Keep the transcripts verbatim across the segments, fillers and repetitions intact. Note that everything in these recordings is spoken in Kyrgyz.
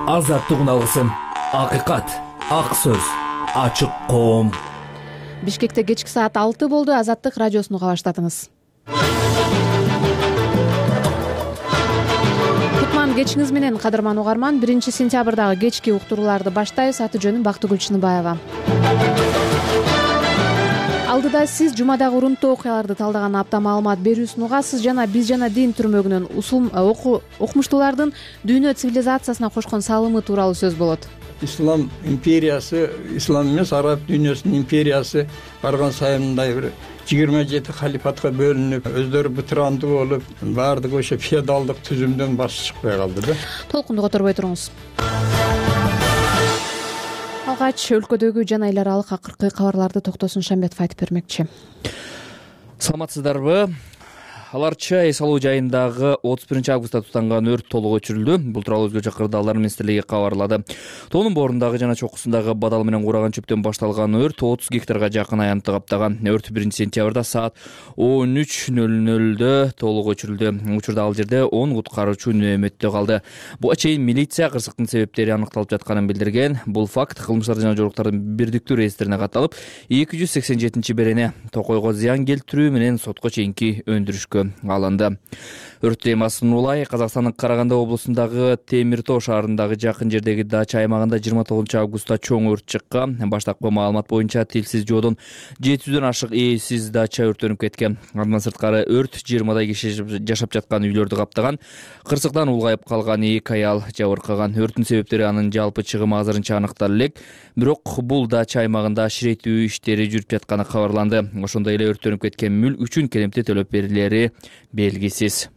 азаттык алгысым, акыйкат, ак сөз, ачык коом. Бишкекте кечки саат алты болду. Азаттык радиосуну уга баштадыңыз. Кутман кечиңиз менен, кадырман угарман. биринчи сентябрдагы кечки уктурууларды баштайбыз. Аты жөнүм Бактыгүл Чыныбаева. Алдыда сиз жумадагы урунттуу окуяларды талдаган апта маалымат берүүсүн угасыз жана биз жана дин түрмөгүнөн усул окумуштуулардын дүйнө цивилизациясына кошкон салымы тууралуу сөз болот. Ислам империясы, ислам эмес, араб дүйнөсүнүн империясы барган сайын мындай бир жыйырма жети халифатка бөлүнүп, өздөрү бытырандуу болуп, баардыгы ошо феодалдык түзүмдөн баш чыкпай калды да. Толкунду которбой туруңуз. Алгач өлкөдөгү жана эл аралык акыркы кабарларды Токтосун Шамбетов айтып бермекчи. Саламатсыздарбы? Аларча эс алуу жайындагы отуз биринчи августта тутанган өрт толук өчүрүлдү. Бул тууралуу Өзгөчө Кырдаалдар министрлиги кабарлады. Тоонун боорундагы жана чокусундагы бадал менен кураган чөптөн башталган өрт отуз гектарга жакын аянтты каптаган. Өрт биринчи сентябрда саат он үч нөл нөлдө толук өчүрүлдү. Учурда ал жерде он куткаруучу нөөмөттө калды. Буга чейин милиция кырсыктын себептери аныкталып жатканын билдирген. Бул факт кылмыштар жана жоруктардын бирдиктүү реестрине катталып, эки жүз сексен жетинчи берене токойго зыян келтирүү менен сотко чейинки өндүрүшкө алынды. Өрт темасын улай Казакстандын Караганда облусундагы Темир Тоо шаарындагы жакын жердеги дача аймагында жыйырма тогузунчу августта чоң өрт чыккан. Баштапкы маалымат боюнча тилсиз жоодон жети жүздөн ашык ээсиз дача өрттөнүп кеткен. Андан сырткары өрт жыйырмадай киши жашап жаткан үйлөрдү каптаган. Кырсыктан улгайып калган эки аял жабыркаган. Өрттүн себептери анын жалпы чыгымы азырынча аныктала элек. Бирок бул дача аймагында аширетүү иштери жүрүп жатканы кабарланды. Ошондой эле өрттөнүп кеткен мүлк үчүн келемти төлөп берилери белгисиз.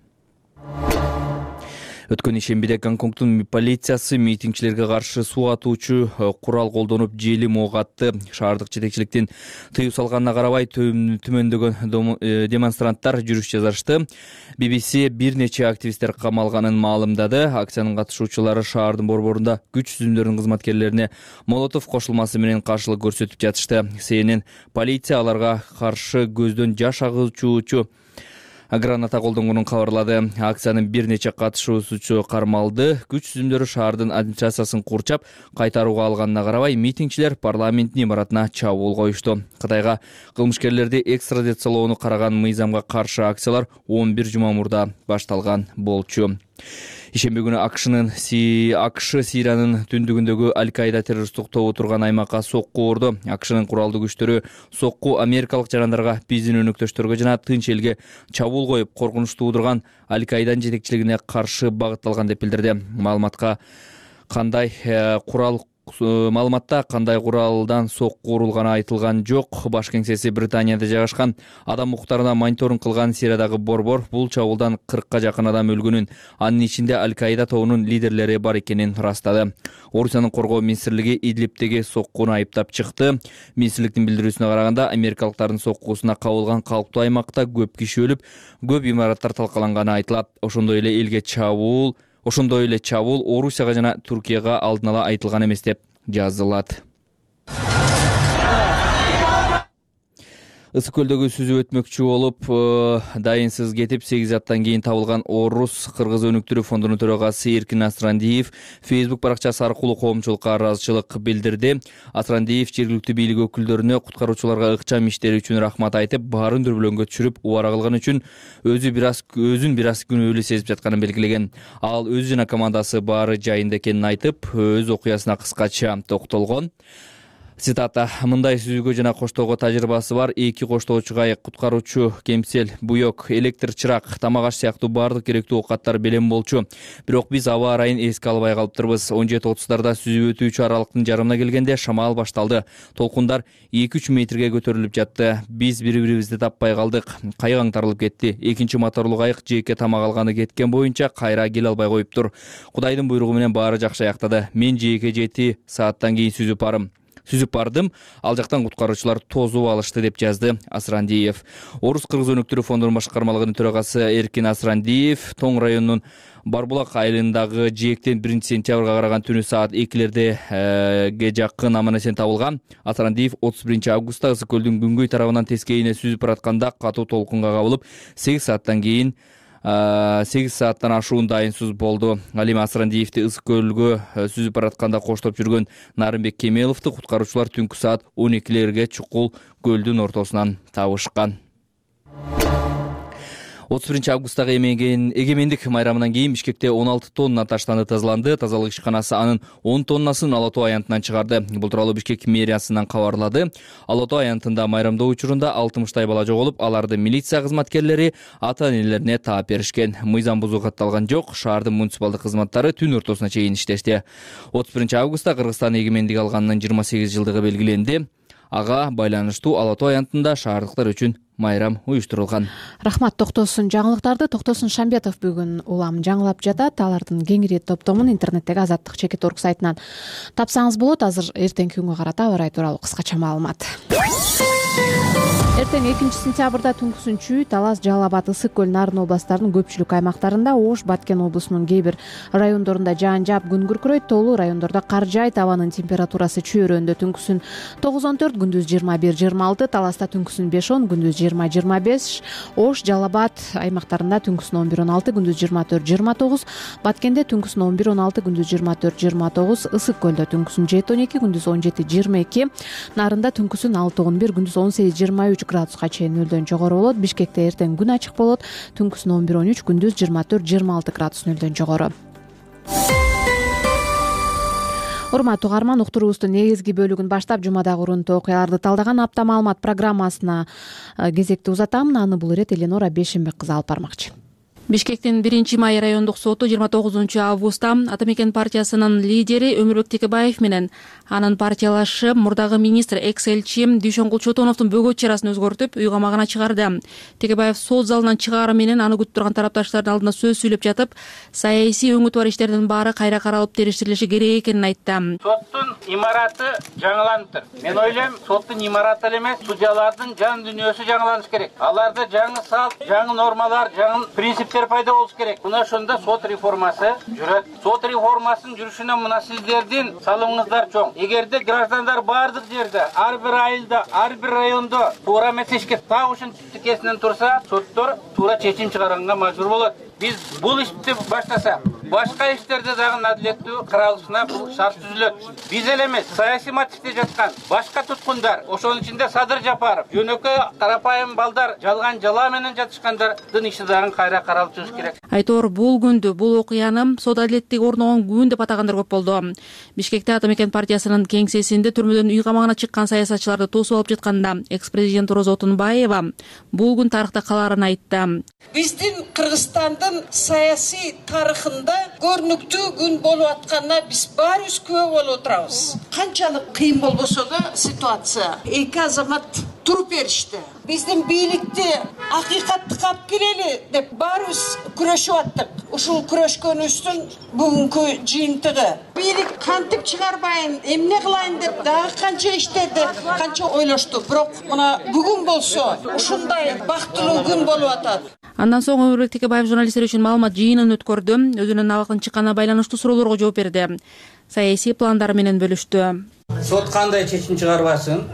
Өткөн ишембиде Гонконгдун полициясы митингчилерге каршы суу атуучу курал колдонуп желим ок атты. Шаардык жетекчиликтин тыюу салганына карабай төмөндөгөн демонстранттар жүрүш жасашты. би би си бир нече активисттер камалганын маалымдады. Акциянын катышуучулары шаардын борборунда күч түзүмдөрүнүн кызматкерлерине молотов кошулмасы менен каршылык көрсөтүп жатышты. Си Эн Эн полиция аларга каршы көздөн жаш агуучу граната колдонгонун кабарлады. Акциянын бир нече катышуучусу кармалды. Күч түзүмдөрү шаардын администрациясын курчап кайтарууга алганына карабай, митингчилер парламенттин имаратына чабуул коюшту. Кытайга кылмышкерлерди экстрадициялоону караган мыйзамга каршы акциялар он бир жума мурда башталган болчу. Ишемби күнү АКШнын АКШ Сириянын түндүгүндөгү Аль-Каида террористтик тобу турган аймакка сокку урду. АКШнын куралдуу күчтөрү сокку америкалык жарандарга, биздин өнөктөштөргө жана тынч элге чабуул коюп, коркунуч туудурган Аль-Каиданын жетекчилигине каршы багытталган деп билдирди. Маалыматка кандай курал Маалыматта кандай куралдан сокку урулганы айтылган жок. Баш кеңсеси Британияда жайгашкан адам укуктарына мониторинг кылган Сириядагы борбор бул чабуулдан кыркка жакын адам өлгөнүн, анын ичинде Аль-Каида тобунун лидерлери бар экенин ырастады. Орусиянын коргоо министрлиги Идлибтеги соккуну айыптап чыкты. Министрликтин билдирүүсүнө караганда, америкалыктардын соккусуна кабылган калктуу аймакта көп киши өлүп, көп имараттар талкаланганы айтылат. Ошондой эле элге чабуул Ошондой эле чабуул Орусияга жана Туркияга алдын ала айтылган эмес деп жазылат. Ысык көлдөгү сүзүп өтмөкчү болуп, дайынсыз кетип, сегиз аттан кийин табылган орус кыргыз өнүктүрүү фондунун төрагасы Эркин Асрандиев Facebook баракчасы аркылуу коомчулукка ыраазычылык билдирди. Асрандиев жергиликтүү бийлик өкүлдөрүнө куткаруучуларга ыкчам иштери үчүн рахмат айтып, баарын дүрбөлөңгө түшүрүп, убара кылган үчүн өзү бир аз өзүн бир аз күнөөлүү сезип жатканын белгилеген. Ал өзү жана командасы баары жайында экенин айтып, өз окуясына кыскача токтолгон. Цитата: мындай сүзүүгө жана коштоого тажрыйбасы бар эки коштоочуга куткаруучу кемсел, буйок, электр чырак, тамак аш сыяктуу баардык керектүү оокаттар белем болчу. Бирок биз аба ырайын эске албай калыптырбыз. он жети отуздарда сүзүп өтүүчү аралыктын жарымына келгенде шамал башталды. Толкундар эки үч метрге көтөрүлүп жатты. Биз бири-бирибизди таппай калдык. Кайык аңтарылып кетти. Экинчи моторлуу кайык жээкке тамак алганы кеткен боюнча кайра келе албай коюптур. Кудайдын буйругу менен баары жакшы аяктады. Мен жээкке жети сааттан кийин сүзүп барым. Сүзүп бардым, ал жактан куткаруучулар тозуп алышты деп жазды Асрандиев. Орус кыргыз өнүктүрүү фондунун башкармалыгынын төрагасы Эркин Асрандиев Тоң районунун Барбулак айылындагы жээктен биринчи сентябрга караган түнү саат экилерге жакын аман-эсен табылган. Асрандиев отуз биринчи августта Ысык көлдүн күнгөй тарабынан тескейине сүзүп баратканда катуу толкунга кабылып, сегиз сааттан кийин сегиз сааттан ашуун дайынсыз болду. Алим Асрандиевди Ысык көлгө сүзүп баратканда коштоп жүргөн Нарымбек Кемеловду куткаруучулар түнкү саат он экилерге чукул көлдүн ортосунан табышкан. отуз биринчи августтагы эгемендик майрамынан кийин Бишкекте он алты тонна таштанды тазаланды. Тазалык ишканасы анын он тоннасын Ала Тоо аянтынан чыгарды. Бул тууралуу Бишкек мэриясынан кабарлады. Ала Тоо аянтында майрамдоо учурунда алтымыштай бала жоголуп, аларды милиция кызматкерлери ата-энелерине таап беришкен. Мыйзам бузуу катталган жок. Шаардын муниципалдык кызматтары түн ортосуна чейин иштешти. отуз биринчи августта Кыргызстан эгемендик алганынын жыйырма сегиз жылдыгы белгиленди. Ага байланыштуу Ала Тоо аянтында шаардыктар үчүн майрам уюштурулган. Рахмат. Токтосун жаңылыктарды Токтосун Шамбетов бүгүн улам жаңылап жатат. Алардын кеңири топтомун интернеттеги азаттык чекит орг сайтынан тапсаңыз болот. Азыр эртеңки күнгө карата аба ырайы тууралуу кыскача маалымат. Эртең экинчи сентябрда түнкүсүнчү Талас, Жалал Абад, Ысык көл, Нарын областарынын көпчүлүк аймактарында, Ош, Баткен облусунун кээ бир райондорунда жаан жаап, күн күркүрөйт. Тоолуу райондордо кар жаайт. Абанын температурасы чөйрөндө түнкүсүн тогуз он төрт, күндүз жыйырма бир жыйырма алты, Таласта түнкүсүн беш он, күндүз жыйырма жыйырма беш, Ош, Жалал Абад аймактарында түнкүсүн он бир он алты, күндүз жыйырма төрт жыйырма тогуз, Баткенде түнкүсүн он бир он алты, күндүз жыйырма төрт жыйырма тогуз, Ысык көлдө түнкүсүн жети он эки, күндүз он жети жыйырма эки, Нарында түнкүсүн алты он бир, күндүз он сегиз жыйырма үч градуска чейин нөлдөн жогору болот. Бишкекте эртең күн ачык болот. Түнкүсүн он бир он үч, күндүз жыйырма төрт жыйырма алты градус нөлдөн жогору. Урматтуу угарман, уктуруубуздун негизги бөлүгүн баштап жумадагы урунтуу окуяларды талдаган апта маалымат программасына кезекти узатам. Аны бул ирет Эленора Бешенбек кызы алып бармакчы. Бишкектин биринчи май райондук соту жыйырма тогузунчу августта Ата Мекен партиясынын лидери Өмүрбек Текебаев менен анын партиялашы мурдагы министр экс-элчи Дүйшөнгул Чотоновдун бөгөт чарасын өзгөртүп, үй камагына чыгарды. Текебаев сот залынан чыгаары менен аны күтүп турган тарапташтардын алдында сөз сүйлөп жатып, саясий өңүтү бар иштердин баары кайра каралып териштирилиши керек экенин айтты. Соттун имараты жаңыланыптыр. Мен ойлойм, соттун имараты эле эмес, судьялардын жан дүйнөсү жаңыланыш керек. Аларда жаңы салт, жаңы нормалар, жаңы принциптер пайда болуш керек. Мына ошондо сот реформасы жүрөт. Сот реформасынын жүрүшүнө мына сиздердин салымыңыздар чоң. Эгерде граждандар бардык жерде, ар бир айылда, ар бир райондо туура эмес ишке так ушинтип тикесинен турса, соттор туура чечим чыгарганга мажбур болот. Биз бул ишти баштаса, башка иштерде дагы адилеттүү каралышына бул шарт түзүлөт. Биз эле эмес, саясий мотивде жаткан башка туткундар, ошонун ичинде Садыр Жапаров, жөнөкөй карапайым балдар жалган жала менен жатышкандардын иши дагы кайра каралып чыгыш керек. Айтор бул күндү, бул окуяны сот адилеттиги орногон күн деп атагандар көп болду. Бишкекте Ата Мекен партиясынын кеңсесинде түрмөдөн үй камагына чыккан саясатчыларды тосуп алып жатканда экс-президент Роза Отунбаева бул күн тарыхта калаарын айтты. Биздин Кыргызстандын саясий тарыхында көрүнүктүү күн болуп атканына биз баарыбыз күбө болуп отурабыз. Канчалык кыйын болбосо да ситуация, эки азамат туруп беришти. Биздин бийликти акыйкаттыкка алып келели деп баарыбыз күрөшүп аттык. Ушул күрөшкөнүбүздүн бүгүнкү жыйынтыгы. Бийлик кантип чыгарбайын, эмне кылайын деп дагы канча иштеди, канча ойлошту. Бирок мына бүгүн болсо ушундай бактылуу күн болуп атат. Андан соң Өмүрбек Текебаев журналисттер үчүн маалымат жыйынын өткөрдү. Өзүнүн абактын чыкканына байланыштуу суроолорго жооп берди. Саясий пландары менен бөлүштү. Сот кандай чечим чыгарбасын,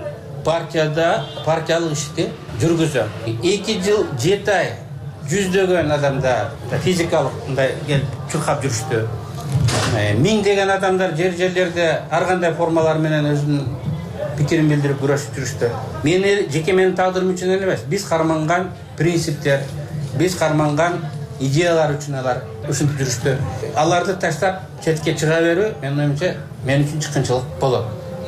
партияда партиялык ишти жүргүзөм. эки жыл жети ай жүздөгөн адамдар физикалык мындай келип чуркап жүрүштү. Миңдеген адамдар жер жерлерде ар кандай формалар менен өзүнүн пикирин билдирип күрөшүп жүрүштү. Мени жеке менин тагдырым үчүн эле эмес, биз карманган принциптер, биз карманган идеялар үчүн алар ушинтип жүрүштү. Аларды таштап четке чыга берүү менин оюмча мен үчүн чыккынчылык болот.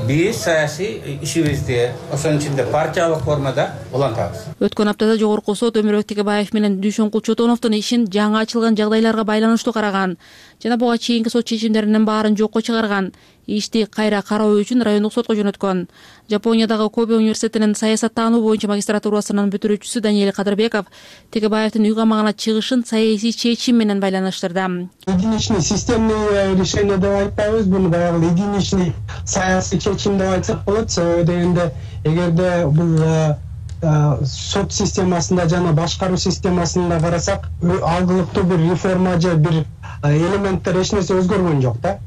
Биз саясий ишибизди ошонун ичинде партиялык формада улантабыз. Өткөн аптада жогорку сот Өмүрбек Текебаев менен Дүйшөнгул Чотоновдун ишин жаңы ачылган жагдайларга байланыштуу караган жана буга чейинки сот чечимдеринин баарын жокко чыгарган. Ишти кайра кароо үчүн райондук сотко жөнөткөн. Жапониядагы Кобе университетинин саясаттануу боюнча магистратурасынын бүтүрүүчүсү Даниэль Кадырбеков Текебаевдин үй камагына чыгышын саясий чечим менен байланыштырды. Единичный системный решение деп айтпайбыз, буну баягы единичный саясий чечим деп айтсак болот. Себеби дегенде эгерде бул сот системасында жана башкаруу системасында карасак, алгылыктуу бир реформа же бир элементтер эч нерсе өзгөргөн жок да.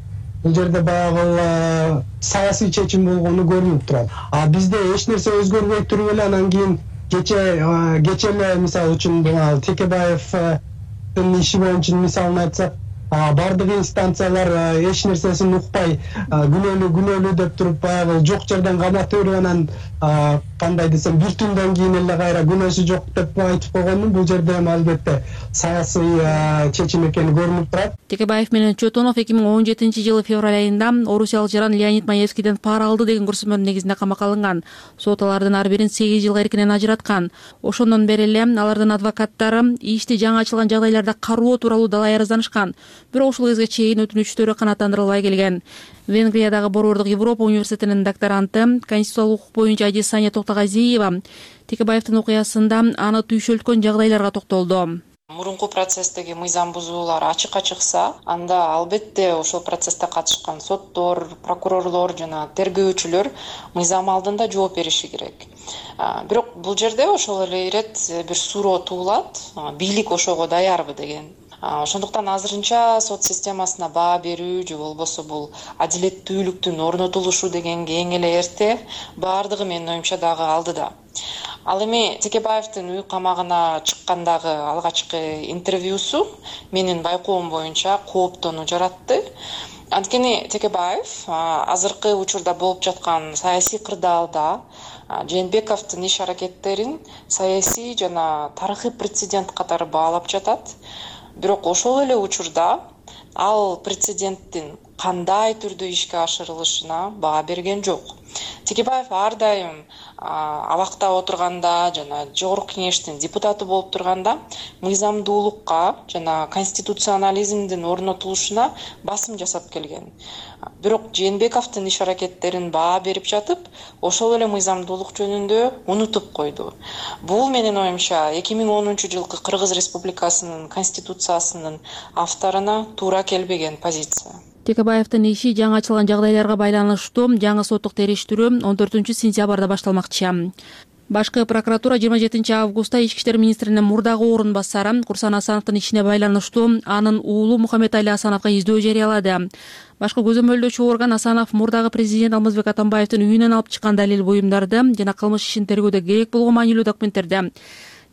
Бул жерде баягы саясий чечим болгону көрүнүп турат. А бизде эч нерсе өзгөрбөй туруп эле анан кийин кече кече эле мисалы үчүн Текебаев иши боюнча мисалын айтсак, бардык инстанциялар эч нерсесин укпай күнөөлүү күнөөлүү деп туруп баягы жок жерден каматып берип анан кандай десем бир түндөн кийин эле кайра күнөөсү жок деп айтып койгондун бул жерде эми албетте саясий чечим экени көрүнүп турат. Текебаев менен Чотонов эки миң он жетинчи жылы февраль айында орусиялык жаран Леонид Маевскийден пара алды деген көрсөтмөнүн негизинде камакка алынган. Сот алардын ар бирин сегиз жылга эркинен ажыраткан. Ошондон бери эле алардын адвокаттары ишти жаңы ачылган жагдайларда кароо тууралуу далай арызданышкан. Бирок ушул кезге чейин өтүнүчтөрү канааттандырылбай келген. Венгриядагы Борбордук Европа университетинин докторанты, конституциялык укук боюнча Ади Сания Токтогазиева Текебаевдин окуясында аны түйшөлткөн жагдайларга токтолду. Мурунку процесстеги мыйзам бузуулар ачыкка чыкса, анда албетте ошол процессте катышкан соттор, прокурорлор жана тергөөчүлөр мыйзам алдында жооп бериши керек. Бирок бул жерде ошол эле ирет бир суроо туулат, бийлик ошого даярбы деген. Ошондуктан азырынча сот системасына баа берүү же болбосо бул адилеттүүлүктүн орнотулушу дегенге эң эле эрте, баардыгы менин оюмча дагы алдыда. Ал эми Текебаевдин үй камагына чыккандагы алгачкы интервьюсу менин байкоом боюнча кооптонуу жаратты. Анткени Текебаев азыркы учурда болуп жаткан саясий кырдаалда Жээнбековдун иш аракеттерин саясий жана тарыхый прецедент катары баалап жатат. Бирок ошол эле учурда ал прецеденттин кандай түрдө ишке ашырылышына баа берген жок. Текебаев ар дайым абакта отурганда жана жогорку кеңештин депутаты болуп турганда мыйзамдуулукка жана конституционализмдин орнотулушуна басым жасап келген. Бирок Жээнбековдун иш аракеттерин баа берип жатып, ошол эле мыйзамдуулук жөнүндө унутуп койду. Бул менин оюмча эки миң онунчу жылкы Кыргыз Республикасынын конституциясынын авторуна туура келбеген позиция. Текебаевдин иши жаңы ачылган жагдайларга байланыштуу жаңы соттук териштирүү он төртүнчү сентябрда башталмакчы. Башкы прокуратура жыйырма жетинчи августта Ички иштер министринин мурдагы орун басары Курсан Асановдун ишине байланыштуу анын уулу Мухаммедали Асановго издөө жарыялады. Башкы көзөмөлдөөчү орган Асанов мурдагы президент Алмазбек Атамбаевдин үйүнөн алып чыккан далил буюмдарды жана кылмыш ишин тергөөдө керек болгон маанилүү документтерди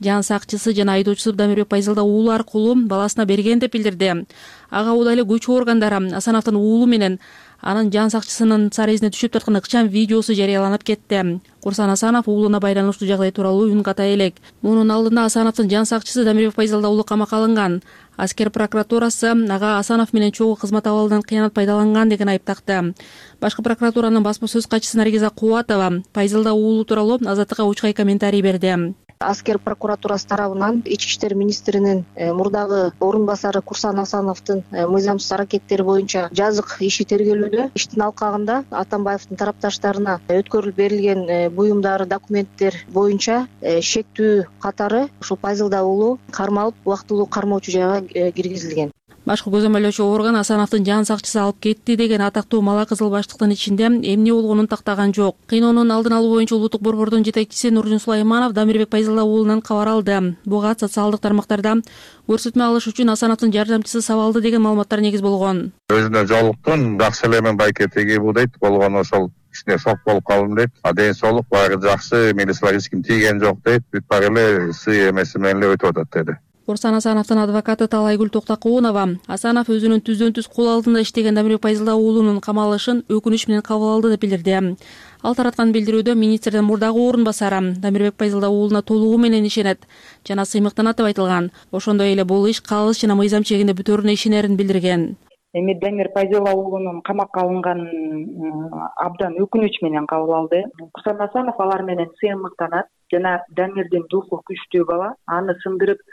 жан сакчысы жана айдоочусу Дамирбек Пайзалда уулу аркылуу баласына берген деп билдирди. Ага убада эле көчү органдары Асановдун уулу менен анын жан сакчысынын сарезине түшүп тарткан ыкчам видеосу жарыяланып кетти. Курсан Асанов уулуна байланыштуу жагдай тууралуу үн ката элек. Мунун алдында Асановдун жан сакчысы Дамирбек Пайзалда уулу камакка алынган. Аскер прокуратурасы ага Асанов менен чогуу кызмат абалынан кыянат пайдаланган деген айып такты. Башкы прокуратуранын басма сөз катчысы Наргиза Кубатова Пайзалда уулу тууралуу Азаттыкка учкай комментарий берди. Аскер прокуратурасы тарабынан Ички иштер министринин мурдагы орун басары Курсан Асановдун мыйзамсыз аракеттери боюнча жазык иши тергелүүдө. Иштин алкагында Атамбаевдин тарапташтарына өткөрүлүп берилген буюмдар, документтер боюнча шектүү катары ушул Пайзалда уулу кармалып, убактылуу кармоочу жайга киргизилген. Башкы көзөмөлдөөчү орган Асановдун жан сакчысы алып кетти деген атактуу мала кызыл баштыктын ичинде эмне болгонун тактаган жок. Кыйноонун алдын алуу боюнча улуттук борбордун жетекчиси Нуржун Сулайманов Дамирбек Пайзалда уулунан кабар алды. Буга социалдык тармактарда көрсөтмө алыш үчүн Асановдун жардамчысы сабалды деген маалыматтар негиз болгон. Өзүнө жолуктун жакшы эле мен байкетеги бул дейт, болгон ошол кичине шок болуп калдым дейт. А ден соолук багы жакшы, милисилер эч ким тийген жок дейт. Бүт баары эле сый эмеси менен эле өтүп атат деди. Курсан Асановдун адвокаты Талайгүл Токтокунова Асанов өзүнүн түздөн түз кол алдында иштеген Дамирбек Пайзалда уулунун камалышын өкүнүч менен кабыл алды деп билдирди. Ал тараткан билдирүүдө министрдин мурдагы орун басары Дамирбек Пайзалда уулуна толугу менен ишенет жана сыймыктанат деп айтылган. Ошондой эле бул иш калыс жана мыйзам чегинде бүтөөрүнө ишенерин билдирген. Эми Дамир Пайзалда уулунун камакка алынганын абдан өкүнүч менен кабыл алды. Курсан Асанов алар менен сыймыктанат жана Дамирдин духу күчтүү бала, аны сындырып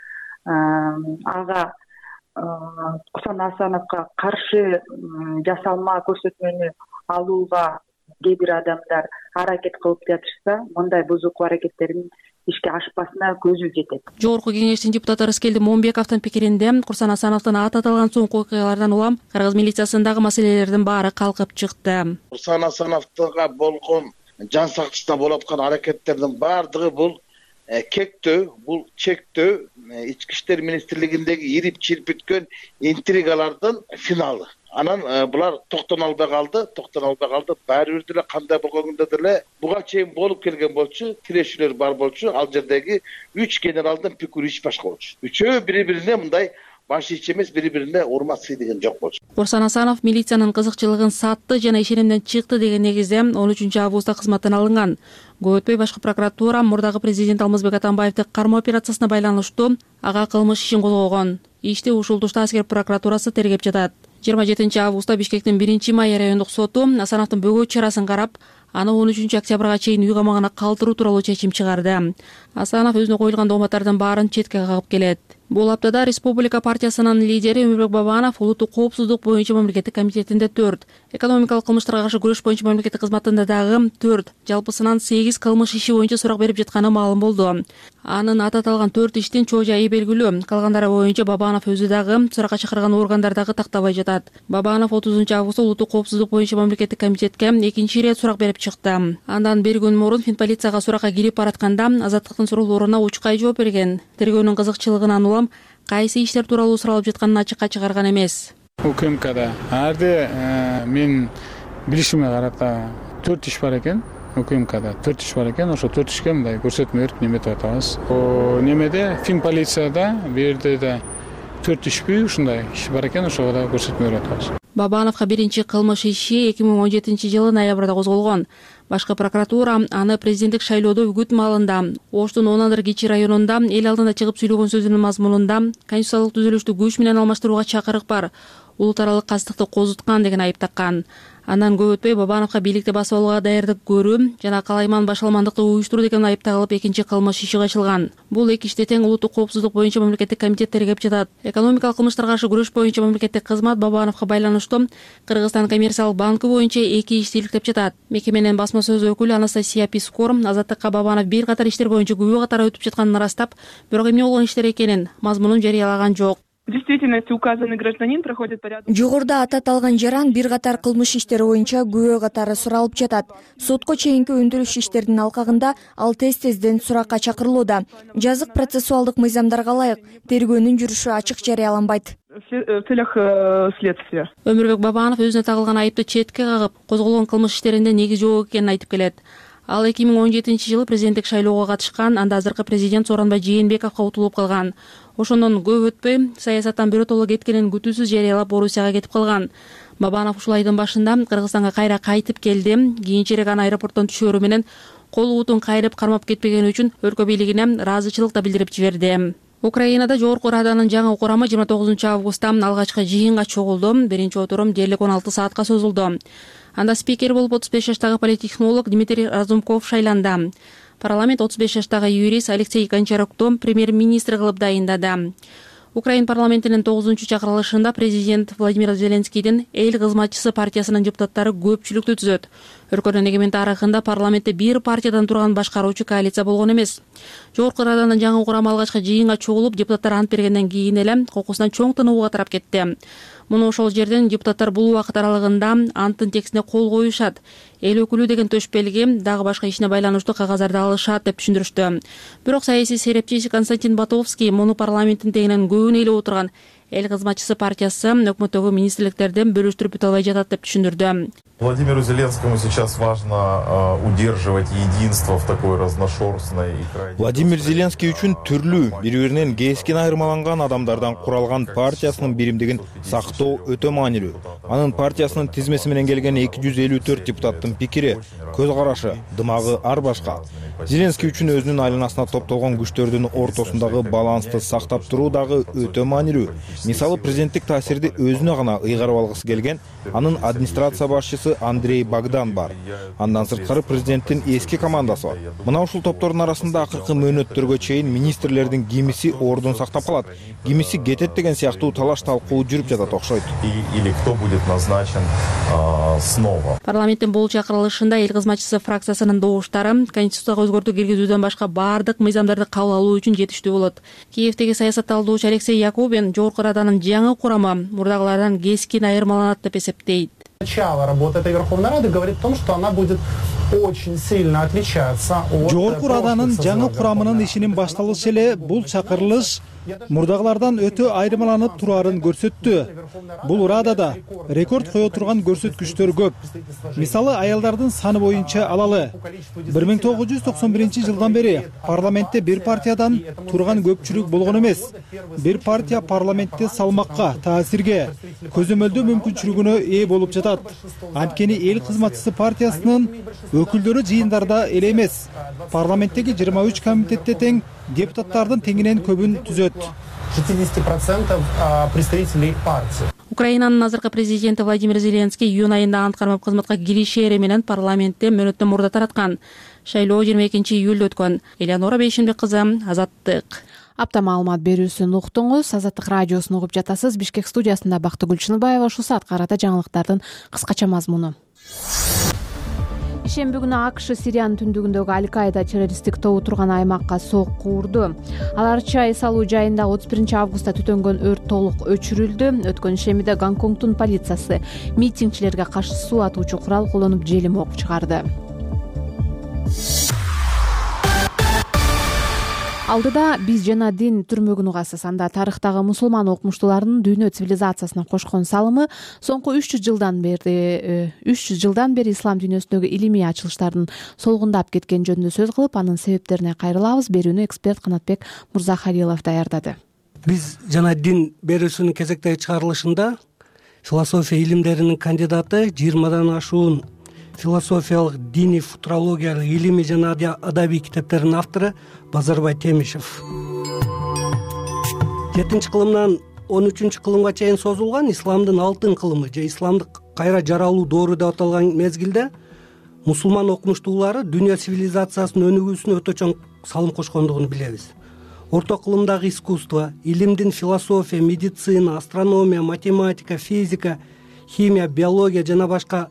ага Курсан Асановго каршы жасалма көрсөтмөнү алууга кээ бир адамдар аракет кылып жатышса, мындай бузуку аракеттерин ишке ашпасына көзү жетет. Жогорку кеңештин депутаты Рыскелди Момбековдун пикиринде Курсан Асановдун аты аталган соңку окуялардан улам Кыргыз милициясындагы маселелердин баары калкып чыкты. Курсан Асановго болгон жан сакчысына болуп аткан аракеттердин баардыгы бул кектөө, бул чектөө Ички иштер министрлигиндеги ирип чирпиткөн интригалардын финалы. Анан булар токтоно албай калды, токтоно албай калды. Баары бир деле кандай болгондо деле буга чейин болуп келген болчу, тирешүүлөр бар болчу. Ал жердеги үч генералдын пикири иш башка болчу. Үчөө бири-бирине мындай баш ич эмес, бири бирине урмат сый деген жок болчу. Орсан Асанов милициянын кызыкчылыгын сатты жана ишенимден чыкты деген негизде он үчүнчү августта кызматтан алынган. Көп өтпөй башкы прокуратура мурдагы президент Алмазбек Атамбаевди кармоо операциясына байланыштуу ага кылмыш ишин козгогон. Ишти ушул тушта аскер прокуратурасы тергеп жатат. жыйырма жетинчи августта Бишкектин биринчи май райондук соту Асановдун бөгөт чарасын карап, аны он үчүнчү октябрга чейин үй камагына калтыруу тууралуу чечим чыгарды. Асанов өзүнө коюлган дооматтардын баарын четке кагып келет. Бул аптада Республика партиясынын лидери Өмүрбек Бабанов улуттук коопсуздук боюнча мамлекеттик комитетинде төрт, экономикалык кылмыштарга каршы күрөш боюнча мамлекеттик кызматында дагы төрт, жалпысынан сегиз кылмыш иши боюнча сурак берип жатканы маалым болду. Анын аты аталган төрт иштин чоо жайы белгилүү. Калгандары боюнча Бабанов өзү дагы суракка чакырган органдар дагы тактабай жатат. Бабанов отузунчу августта улуттук коопсуздук боюнча мамлекеттик комитетке экинчи ирет сурак берип чыкты. Андан бир күн мурун Финполицияга суракка кирип баратканда Азаттыктын суроолоруна учкай жооп берген. Тергөөнүн кызыкчылыгынан улам кайсы иштер тууралуу суралып жатканын ачыкка чыгарган эмес. УКМКда арды мен билишиме карата төрт иш бар экен. УКМКда төрт иш бар экен. Ошо төрт ишке мындай көрсөтмө берип неметип атабыз. О немеде Финполицияда бу жерде да төрт ишпи ушундай иш бар экен. Ошого да көрсөтмө берип атабыз. Бабановго биринчи кылмыш иши эки миң он жетинчи жылы ноябрда козголгон. Башкы прокуратура аны президенттик шайлоодо үгүт маалында Оштун Онандыр Кичи районунда эл алдында чыгып сүйлөгөн сөзүнүн мазмунунда конституциялык түзүлүштү күч менен алмаштырууга чакырык бар, улут аралык кастыкты козуткан деген айып таккан. Андан көп өтпөй Бабановго бийликти басып алууга даярдык көрүү жана калайман башаламандыкты уюштуруу деген айып тагылып экинчи кылмыш иши ачылган. Бул эки ишти тең улуттук коопсуздук боюнча мамлекеттик комитет тергеп жатат. Экономикалык кылмыштарга каршы күрөш боюнча мамлекеттик кызмат Бабановго байланыштуу Кыргызстан коммерциялык банкы боюнча эки ишти иликтеп жатат. Мекеменин басма сөз өкүлү Анастасия Пискор Азаттыкка Бабанов бир катар иштер боюнча күбө катары өтүп жатканын ырастап, бирок эмне болгон иштер экенин мазмунун жарыялаган жок. В действительности указанный гражданин проходит порядок. Жогоруда ататалган жаран бир катар кылмыш иштери боюнча күбө катары суралып жатат. Сотко чейинки өндүрүш иштеринин алкагында ал тез-тезден суракка чакырылууда. Жазык процессуалдык мыйзамдарга ылайык тергөөнүн жүрүшү ачык жарыяланбайт. В целях следствия. Өмүрбек Бабанов өзүнө тагылган айыпты четке кагып, козголгон кылмыш иштеринде негиз жок экенин айтып келет. Ал эки миң он жетинчи жылы президенттик шайлоого катышкан, анда азыркы президент Сооронбай Жээнбековго утулуп калган. Ошондон көп өтпөй саясаттан биротоло кеткенин күтүүсүз жарыялап Орусияга кетип калган. Бабанов ушул айдын башында Кыргызстанга кайра кайтып келди. Кийинчерээк аны аэропорттон түшөрү менен кол уутун кайрып кармап кетпегени үчүн өлкө бийлигине ыраазычылык да билдирип жиберди. Украинада Жогорку Раданын жаңы курамы жыйырма тогузунчу августта алгачкы жыйынга чогулду. Биринчи отурум дээрлик он алты саатка созулду. Анда спикер болуп отуз беш жаштагы политтехнолог Дмитрий Разумков шайланды. Парламент отуз беш жаштагы юрист Алексей Гончарукту премьер-министр кылып дайындады. Украин парламентинин тогузунчу чакырылышында президент Владимир Зеленскийдин эл кызматчысы партиясынын депутаттары көпчүлүктү түзөт. Өлкөнүн эгемен тарыхында парламентте бир партиядан турган башкаруучу коалиция болгон эмес. Жогорку Раданын жаңы курамы алгачкы жыйынга чогулуп, депутаттар ант бергенден кийин эле кокусунан чоң тынууга тарап кетти. Муну ошол жерден депутаттар бул убакыт аралыгында анттын текстине кол коюшат. Эл өкүлү деген төшпелги дагы башка ишине байланыштуу кагаздарды алышат деп түшүндүрүштү. Бирок саясий серепчиси Константин Батовский муну парламенттин тегинен көбүн ээлеп отурган эл кызматчысы партиясы өкмөттөгү министрликтерден бөлүштүрүп бүтө албай жатат деп түшүндүрдү. Владимиру Зеленскому сейчас важно uh, удерживать единство в такой разношерстной и крайне... Владимир Зеленский үчүн түрлүү, бири-биринен кескин айырмаланган адамдардан куралган партиясынын биримдигин сактоо өтө маанилүү. Анын партиясынын тизмеси менен келген эки жүз элүү төрт депутаттын пикири, көз карашы, дымагы ар башка. Зеленский үчүн өзүнүн айланасына топтолгон күчтөрдүн ортосундагы балансты сактап туруу дагы өтө маанилүү. Мисалы, президенттик таасирди өзүнө гана ыйгарып алгысы келген анын администрация башчысы Андрей Богдан бар. Андан сырткары президенттин эски командасы бар. Мына ушул топтордун арасында акыркы мөөнөттөргө чейин министрлердин кимиси ордун сактап калат, кимиси кетет деген сыяктуу талаш талкуу жүрүп жатат окшойт. Или кто будет назначен снова. Парламенттин бул чакырылышында эл кызматчысы фракциясынын добуштары конституцияга өзгөртүү киргизүүдөн башка бардык мыйзамдарды кабыл алуу үчүн жетиштүү болот. Киевдеги саясат талдоочу Алексей Якубин Жогорку Раданын жаңы курамы мурдагылардан кескин айырмаланат деп эсептейт. Начало работы этой Верховной Рады говорит о том, что она будет очень сильно отличаться от... Жогорку Раданын жаңы курамынын ишинин башталышы эле бул чакырылыш мурдагылардан өтө айырмаланып тураарын көрсөттү. Бул Радада рекорд кое турган көрсөткүчтөр көп. Мисалы, аялдардын саны боюнча алалы. бир миң тогуз жүз токсон биринчи жылдан бери парламентте бир партиядан турган көпчүлүк болгон эмес. Бир партия парламентте салмакка, таасирге, көзөмөлдөө мүмкүнчүлүгүнө ээ болуп жатат. Анткени эл кызматчысы партиясынын өкүлдөрү жыйындарда эле эмес, парламенттеги жыйырма үч комитетте тең депутаттардын теңинен көбүн түзөт. шестьдесят процентов представителей партии. Украинанын азыркы президенти Владимир Зеленский июнь айында ант кармап кызматка киришери менен парламентте мөөнөттөн мурда тараткан. Шайлоо жыйырма экинчи июлда өткөн. Элеонора Бейшенбек кызы, Азаттык. Апта маалымат берүүсүн уктуңуз. Азаттык радиосун угуп жатасыз. Бишкек студиясында Бактыгүл Чыныбаева. Ушул саатка карата жаңылыктардын кыскача мазмуну. Ишемби күнү АКШ Сириянын түндүгүндөгү Аль-Каида террористтик тобу турган аймакка сокку урду. Аларча эс алуу жайында отуз биринчи августта түтөнгөн өрт толук өчүрүлдү. Өткөн ишембиде Гонконгдун полициясы митингчилерге каршы суу атуучу курал колдонуп желим ок чыгарды. Алдыда биз жана дин түрмөгүн угасыз. Анда тарыхтагы мусулман окумуштуулардын дүйнө цивилизациясына кошкон салымы соңку үч жүз жылдан бери үч жүз жылдан бери ислам дүйнөсүндөгү илимий ачылыштардын солгундап кеткени жөнүндө сөз кылып, анын себептерине кайрылабыз. Берүүнү эксперт Канатбек Мурзахалилов даярдады. Биз жана дин берүүсүнүн кезектеги чыгарылышында философия илимдеринин кандидаты, жыйырмадан ашуун философиялык, диний, футурологиялык, илимий жана адабий китептердин автору Базарбай Темишев. жетинчи кылымдан он үчүнчү кылымга чейин созулган исламдын алтын кылымы же исламдык кайра жаралуу доору деп аталган мезгилде мусулман окумуштуулары дүйнө цивилизациясынын өнүгүүсүнө өтө чоң салым кошкондугун билебиз. Орто кылымдагы искусство, илимдин философия, медицина, астрономия, математика, физика, химия, биология жана башка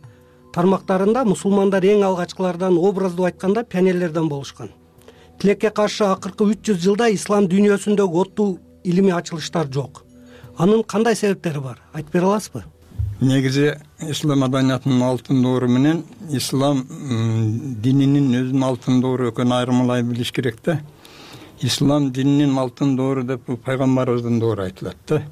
тармактарында мусулмандар эң алгачкылардан, образдуу айтканда, пионерлерден болушкан. Тилекке каршы акыркы үч жүз жылда ислам дүйнөсүндөгү оттуу илимий ачылыштар жок. Анын кандай себептери бар? Айтып бере аласызбы? Негизи ислам маданиятынын алтын доору менен ислам дининин өзүнүн алтын доору экөөнүн айырмалай билиш керек да. Ислам дининин алтын доору деп пайгамбарыбыздын доору айтылат да.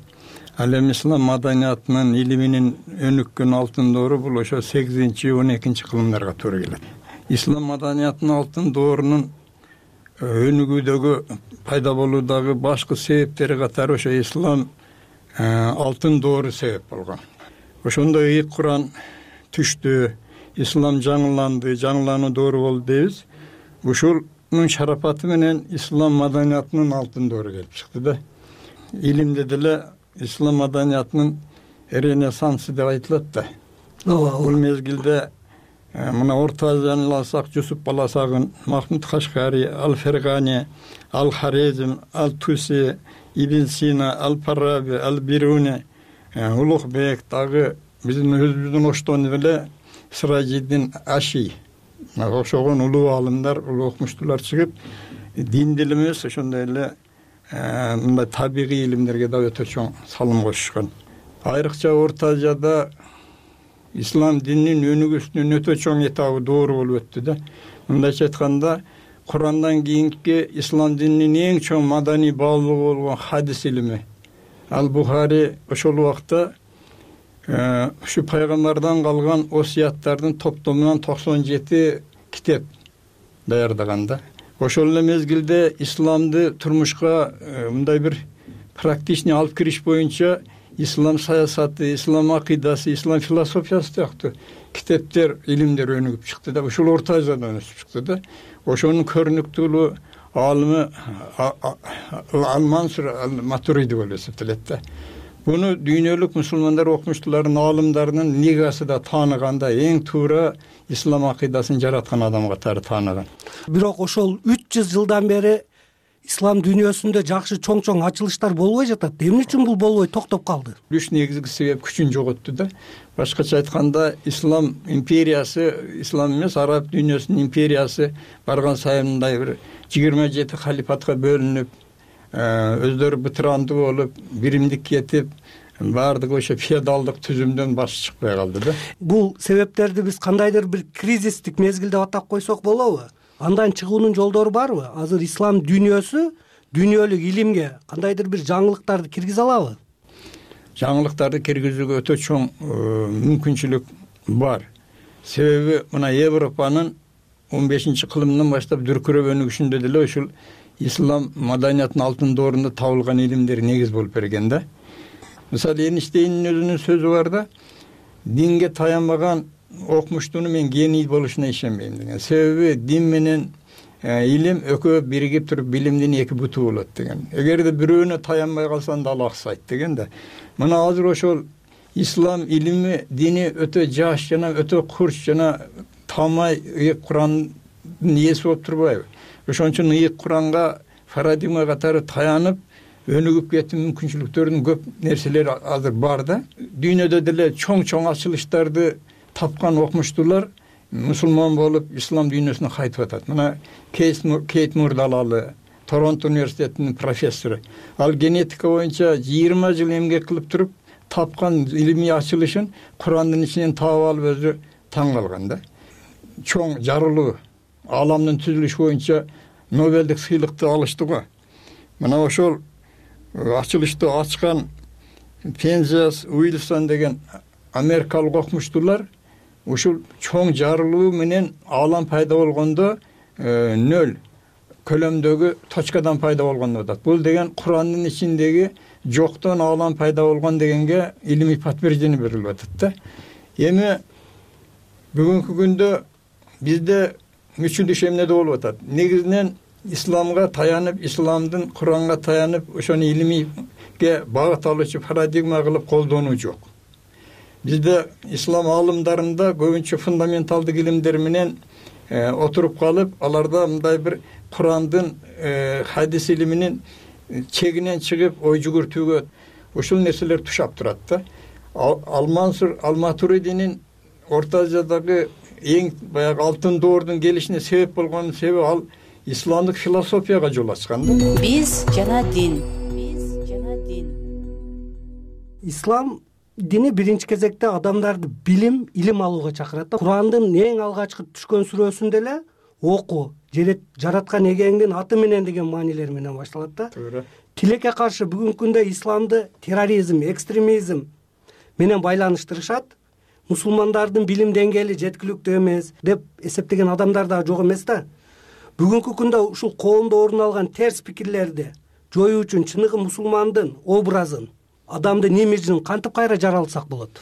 Ал эми ислам маданиятынын илиминин өнүккөн алтын доору бул ошо сегизинчи он экинчи кылымдарга туура келет. Ислам маданиятынын алтын доорунун өнүгүүдөгү, пайда болуудагы башкы себептери катары ошо ислам алтын доору себеп болгон. Ошондо ийик Куран түштү, ислам жаңыланды, жаңылануу доору болду дейбиз. Ушунун шарапаты менен ислам маданиятынын алтын доору келип чыкты да. Илимде деле ислам маданиятынын ренессансы деп айтылат да. Бул мезгилде мына Орто Азияны алсак, Жусуп Баласагын, Махмуд Кашкари, Ал-Фергани, Ал-Харезм, Ал-Туси, Ибн Сина, Ал-Фараби, Ал-Бируни, Улукбек, дагы биздин өзүбүздүн оштон эле Сиражиддин Аши, ошогон улуу аалымдар, улуу окумуштуулар чыгып, дин дил эмес, ошондой эле мындай табигый илимдерге да өтө чоң салым кошушкан. Айрыкча Орто Азияда ислам дининин өнүгүүсүнүн өтө чоң этабы доору болуп өттү да. Мындайча айтканда, Курандан кийинки ислам дининин эң чоң маданий баалуулугу болгон хадис илими. Ал-Бухари ошол убакта ушу пайгамбардан калган осуяттардын топтомунан токсон жети китеп даярдаган да. Ошол эле мезгилде исламды турмушка мындай бир практичный алып кириш боюнча ислам саясаты, ислам акыйдасы, ислам философиясы сыяктуу китептер, илимдер өнүгүп чыкты да. Ушул Орто Азиядан өсүп чыкты да. Ошонун көрүнүктүүлүгү алымы Ал-Мансур Ал-Матуриди болуп эсептелет да. Буну дүйнөлүк мусулмандар окумуштууларынын, аалымдарынын нигасы да тааныганда, эң туура ислам акыйдасын жараткан адам катары тааныган. Бирок ошол үч жүз жылдан бери ислам дүйнөсүндө жакшы чоң-чоң ачылыштар болбой жатат. Эмне үчүн бул болбой токтоп калды? Үч негизги себеп күчүн жоготту да. Башкача айтканда, ислам империясы, ислам эмес, араб дүйнөсүнүн империясы барган сайын мындай бир жыйырма жети халифатка бөлүнүп, өздөрү бытырандуу болуп, биримдик кетип, баардыгы ошо феодалдык түзүмдөн баш чыкпай калды да. Бул себептерди биз кандайдыр бир кризистик мезгилде атап койсок болобу? Андан чыгуунун жолдору барбы? Азыр ислам дүйнөсү дүйнөлүк илимге кандайдыр бир жаңылыктарды киргизе алабы? Жаңылыктарды киргизүүгө өтө чоң мүмкүнчүлүк бар. Себеби мына Европанын он бешинчи кылымдан баштап дүркүрөп өнүгүшүндө деле ушул ислам маданиятынын алтын доорунда табылган илимдер негиз болуп берген да. Мисалы Эйнштейндин өзүнүн сөзү бар да, динге таянбаган окумуштуну мен гений болушуна ишенбейм деген. Себеби дин менен илим экөө биригип туруп билимдин эки буту болот деген. Эгерде бирөөнө таянбай калсаң да ал аксайт деген да. Мына азыр ошол ислам илими, дини өтө жаш жана өтө курч жана тамай ыйык Курандын ээси болуп турбайбы? Ошон үчүн ыйык Куранга парадигма катары таянып өнүгүп кетүү мүмкүнчүлүктөрүнүн көп нерселери азыр бар да. Дүйнөдө деле чоң-чоң ачылыштарды тапкан окумуштуулар мусулман болуп ислам дүйнөсүнө кайтып атат. Мына Кейт Мурдалалы, Торонто университетинин профессору. Ал генетика боюнча жыйырма жыл эмгек кылып туруп тапкан илимий ачылышын Курандын ичинен таап алып өзү таң калган да. Чоң жарылуу, ааламдын түзүлүшү боюнча Нобелдик сыйлыкты алышты го. Мына ошол ачылышты ачкан Пензиас Уилсон деген америкалык окумуштуулар ушул чоң жарылуу менен аалам пайда болгондо нөл көлөмдөгү точкадан пайда болгон деп атат. Бул деген Курандын ичиндеги жоктон аалам пайда болгон дегенге илимий подтверждение берилип атат да. Эми бүгүнкү күндө бизде мүчүлүш эмнеде болуп атат? Негизинен исламга таянып, исламдын Куранга таянып, ошону илимийге багыт алуучу парадигма кылып колдонуу жок. Бизде ислам аалымдарында көбүнчө фундаменталдык илимдер менен отуруп калып, аларда мындай бир Курандын хадис илиминин чегинен чыгып ой жүгүртүүгө ушул нерселер тушап турат да. Ал-Мансур Ал-Матуридинин Орто Азиядагы эң баягы алтын доордун келишине себеп болгон себеби ал исламдык философияга жол ачкан да. Биз жана дин. Биз жана дин. Ислам дини биринчи кезекте адамдарды билим, илим алууга чакырат да. Курандын эң алгачкы түшкөн сүрөсүндө эле окуу, жараткан эгеңдин аты менен деген маанилер менен башталат да. Туура. Тилекке каршы бүгүнкү күндө исламды терроризм, экстремизм менен байланыштырышат. Мусулмандардын билим деңгээли жеткиликтүү эмес деп эсептеген адамдар да жок эмес да. Бүгүнкү күндө ушул коомдо орун алган терс пикирлерди жоюу үчүн чыныгы мусулмандын образын, адамдын имиджин кантип кайра жаралсак болот?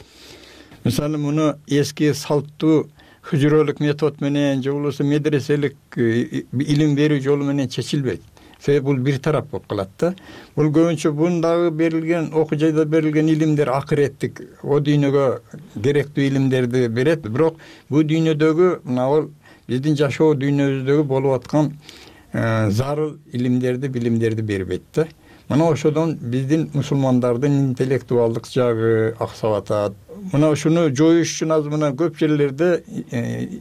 Мисалы муну эски салттуу хүжүрөлүк метод менен же болбосо медреселик илим берүү жолу менен чечилбейт. Себеби бул бир тарап болуп калат да. Бул көбүнчө бундагы берилген окуу жайда берилген илимдер акыреттик, о дүйнөгө керектүү илимдерди берет. Бирок бул дүйнөдөгү мына ал биздин жашоо дүйнөбүздөгү болуп аткан зарыл илимдерди, билимдерди бербейт да. Мына ошодон биздин мусулмандардын интеллектуалдык жагы аксап атат. Мына ушуну жоюш үчүн азыр мына көп жерлерде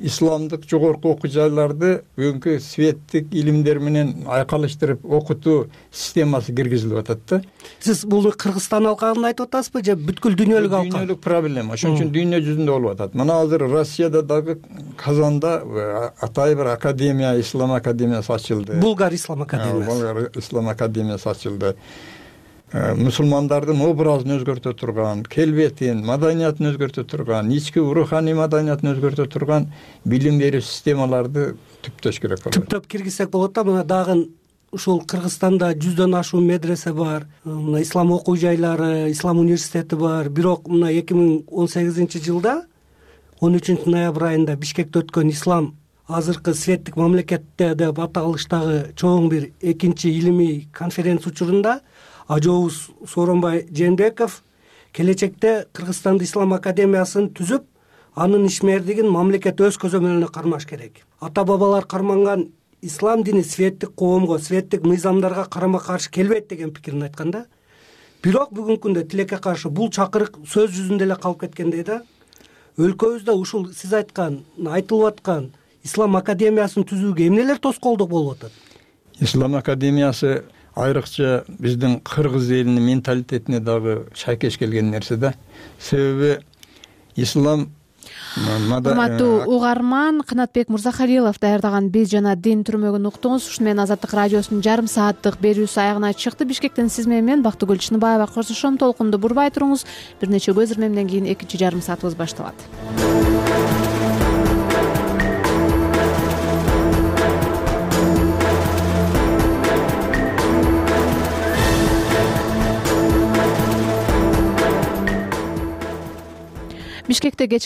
исламдык жогорку окуу жайларды бүгүнкү светтик илимдер менен айкалыштырып окутуу системасы киргизилип атат да. Сиз бул Кыргызстан алкагын айтып атасызбы же бүткүл дүйнөлүк алкак? Дүйнөлүк проблема. Ошон үчүн дүйнө жүзүндө болуп атат. Мына азыр Россияда дагы Казанда атай бир академия, ислам академиясы ачылды. Булгар ислам академиясы. Булгар ислам академиясы ачылды. Мусулмандардын образын өзгөртө турган, келбетин, маданиятын өзгөртө турган, ички руханий маданиятын өзгөртө турган билим берүү системаларды түптөш керек болот. Түптөп киргизсек болот да. Мына дагы ушул Кыргызстанда жүздөн ашуун медресе бар, мына ислам окуу жайлары, ислам университети бар. Бирок мына эки миң он сегизинчи жылда он үчүнчү ноябрь айында Бишкекте өткөн ислам азыркы светтик мамлекетте деп аталыштагы чоң бир экинчи илимий конференция учурунда Ажообуз Сооронбай Жээнбеков келечекте Кыргызстанда ислам академиясын түзүп, анын ишмердигин мамлекет өз көзөмөлүнө кармаш керек. Ата бабалар карманган ислам дини светтик коомго, светтик мыйзамдарга карама каршы келбейт деген пикирин айткан да. Бирок бүгүнкү күндө тилекке каршы бул чакырык сөз жүзүндө эле калып кеткендей да. Өлкөбүздө ушул сиз айткан, айтылып аткан ислам академиясын түзүүгө эмнелер тоскоолдук болуп атат? Ислам академиясы айрыкча биздин кыргыз элинин менталитетине дагы шайкеш келген нерсе да. Себеби ислам урматтуу угарман, Канатбек Мырзахалилов даярдаган Биз жана дин түрмөгүн уктуңуз. Ушуну менен Азаттык радиосунун жарым сааттык берүүсү аягына чыкты. Бишкектен сиз менен мен Бактыгүл Чыныбаева коштошом. Толкунду бурбай туруңуз. Бир нече көз ирмемден кийин экинчи жарым саатыбыз башталат. Бишкекте кеч